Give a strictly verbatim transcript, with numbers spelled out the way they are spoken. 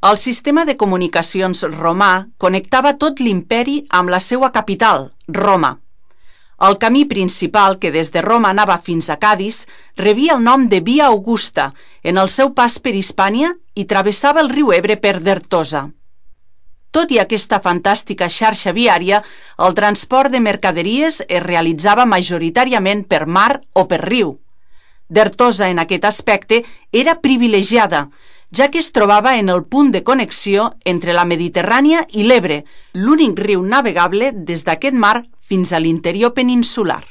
El sistema de comunicacions romà connectava tot l'imperi amb la seva capital, Roma. El camí principal, que des de Roma anava fins a Cadis, rebia el nom de Via Augusta en el seu pas per Hispània i travessava el riu Ebre per Dertosa. Tot i aquesta fantàstica xarxa viària, el transport de mercaderies es realitzava majoritàriament per mar o per riu. Dertosa, en aquest aspecte, era privilegiada, ja que es trobava en el punt de connexió entre la Mediterrània i l'Ebre, l'únic riu navegable des d'aquest mar fins a l'interior peninsular.